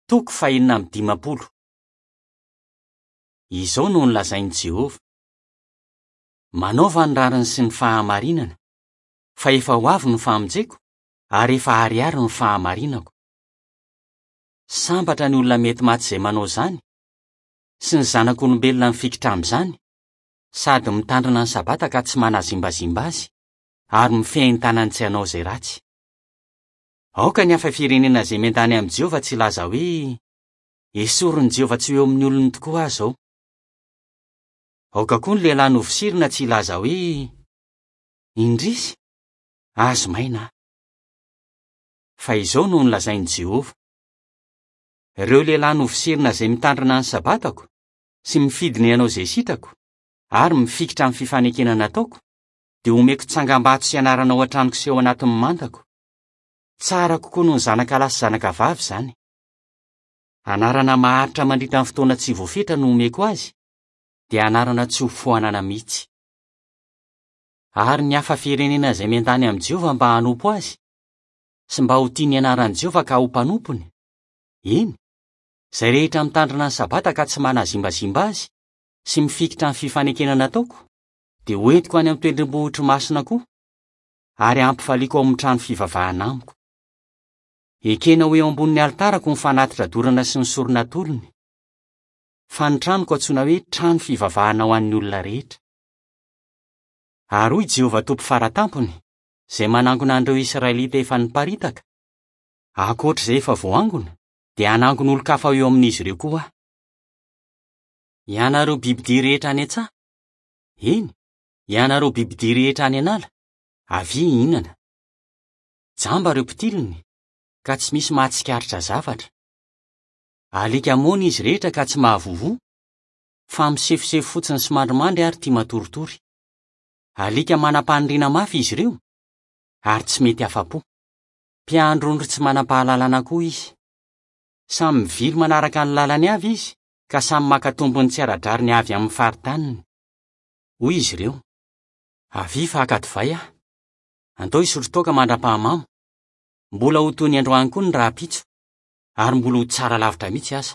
Toko fahenina amby 50. Izao no nolazain'i Jehovah, Manaova ny rariny sy ny fahamarinana, fa efa ho avy ny famonjeko ary efa aharihary ny fahamarinako. Sambatra ny olona mety maty izay manao izany, sy ny zanak'olombelona mifikitra amin'izany, sady mitandrina ny Sabata ka tsy manazimbazimba azy, ary mifehy ny tanany tsy hanao izay ratsy. Aoka ny hafa firenena izay miandany amin'i Jehovah tsy hilaza hoe, 'Esorin'i Jehovah tsy ho eo amin'ny olony tokoa aho izao. Aoka koa ny lehilahy novosirina tsy hilaza hoe, 'Indrisy! Azo maina aho. Fa izao no nolazain'i Jehovah, Ireo lehilahy novosirina izay mitandrina ny sabatako, sy mifidy ny hanao izay sitrako, ary mifikitra amin'ny fifanekena nataoko, dia homeko tsangambato sy anarana ao an-tranoko sy ao anatin'ny mandako. Tsara kokoa noho ny zanakalahy sy zanakavavy izany. Anarana maharitra mandritra ny fotoana tsy voafetra no homeko azy, dia anarana tsy ho foanana mihitsy. Ary ny hafa firenena izay miandany amin'i Jehovah mba hanompo azy, sy mba ho tia ny anaran'i Jehovah ka ho mpanompony, eny, izay rehetra mitandrina ny Sabata ka tsy manazimbazimba azy, sy mifikitra amin'ny fifanekena nataoko, dia hoentiko any amin'ny tendrombohitro masina koa, ary hampifaliako ao amin'ny trano fivavahana amiko. Ekena ho eo ambonin'ny alitarako ny fanatitra dorana sy ny sorona atolony, fa ny tranoko antsoina hoe trano fivavahana ho an'ny olona rehetra. Ary hoy Jehovah Tompo Fara Tampony, izay manangona an'ireo Israelita efa niparitaka, Ankoatra izay efa voangona, dia hanangona olon-kafa ho eo amin'izy ireo koa aho. Ianareo bibidia rehetra any an-tsaha, eny, ianareo bibidia rehetra any an'ala, avia hihinana. Jamba ireo mpitiliny, ka tsy misy mahatsikaritra zavatra. Alika moana izy rehetra ka tsy mahavovo, fa misefosefo fotsiny sy mandrimandry ary tia matoritory. Alika manam-paniriana mafy izy ireo, ary tsy mety afa-po. Mpiandry ondry tsy manam-pahalalana koa izy. Samy mivily manaraka ny lalany avy izy, ka samy maka tombony tsy ara-drariny avy amin'ny faritaniny. Hoy izy ireo, Avia fa haka divay aho. Andao hisotro toaka mandra-pahamamo. Mbola ho toy ny androany koa ny rahampitso, ary mbola ho tsara lavitra mihitsy aza.